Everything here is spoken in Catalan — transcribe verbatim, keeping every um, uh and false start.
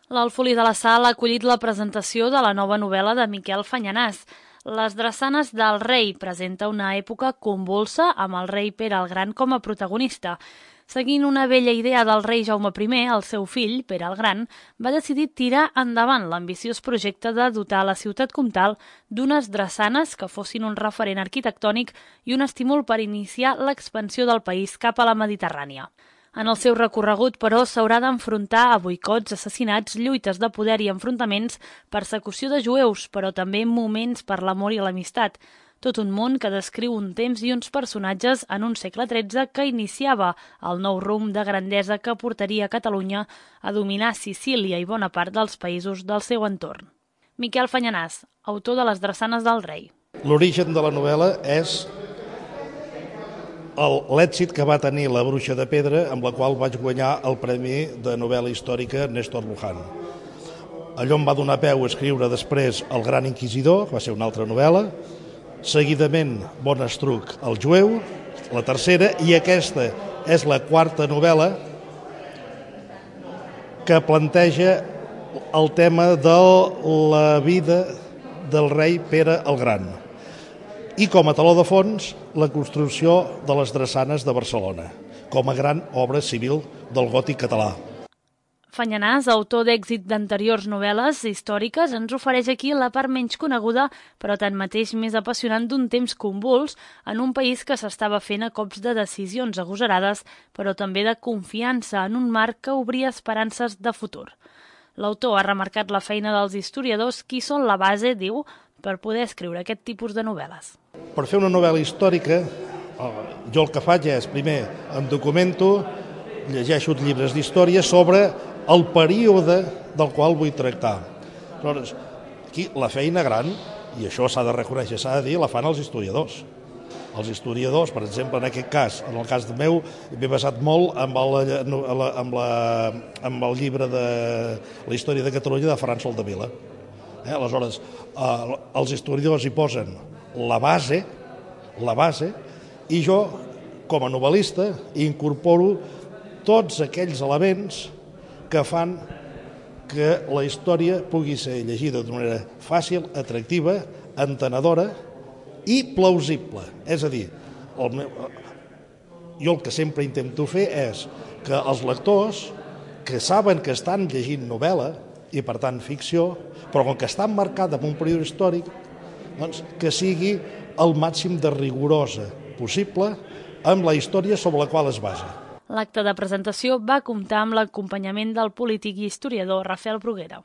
L'Alfolí de la Sal ha acollit la presentació de la nova novel·la de Miquel Fanyanàs. Les drassanes del rei presenta una època convulsa amb el rei Pere el Gran com a protagonista. Seguint una vella idea del rei Jaume primer, el seu fill, Pere el Gran, va decidir tirar endavant l'ambiciós projecte de dotar la ciutat comtal d'unes drassanes que fossin un referent arquitectònic i un estímul per iniciar l'expansió del país cap a la Mediterrània. En el seu recorregut, però, s'haurà d'enfrontar a boicots, assassinats, lluites de poder i enfrontaments, persecució de jueus, però també moments per l'amor i l'amistat. Tot un món que descriu un temps i uns personatges en un segle tretze que iniciava el nou rumb de grandesa que portaria Catalunya a dominar Sicília i bona part dels països del seu entorn. Miquel Fanyanàs, autor de Les drassanes del rei. L'origen de la novel·la és l'èxit que va tenir La bruixa de pedra, amb la qual vaig guanyar el Premi de novel·la històrica Néstor Luján. Allò em va donar peu a escriure després El gran inquisidor, que va ser una altra novel·la, seguidament Bonestruc, el jueu, la tercera, i aquesta és la quarta novel·la que planteja el tema de la vida del rei Pere el Gran. I com a taló de fons, la construcció de les drassanes de Barcelona, com a gran obra civil del gòtic català. Fanyanàs, autor d'èxit d'anteriors novel·les històriques, ens ofereix aquí la part menys coneguda, però tanmateix més apassionant d'un temps convuls en un país que s'estava fent a cops de decisions agosarades, però també de confiança en un marc que obria esperances de futur. L'autor ha remarcat la feina dels historiadors, qui són la base, diu, per poder escriure aquest tipus de novel·les. Per fer una novel·la històrica, jo el que faig és, primer, em documento, llegeixo llibres d'història sobre el període del qual vull tractar. Aleshores, aquí la feina gran, i això s'ha de reconèixer, s'ha de dir, la fan els historiadors. Els historiadors, per exemple, en aquest cas, en el cas meu, m'he basat molt amb el, amb la, amb el llibre de la història de Catalunya de Ferran Soldevila. Eh? Aleshores, eh, els historiadors hi posen la base, la base, i jo, com a novel·lista, incorporo tots aquells elements que fan que la història pugui ser llegida d'una manera fàcil, atractiva, entenedora i plausible. És a dir, el meu, jo el que sempre intento fer és que els lectors, que saben que estan llegint novel·la, i per tant ficció, però com que està emmarcada en un període històric, doncs, que sigui el màxim de rigorosa possible amb la història sobre la qual es basa. L'acte de presentació va comptar amb l'acompanyament del polític i historiador Rafael Bruguera.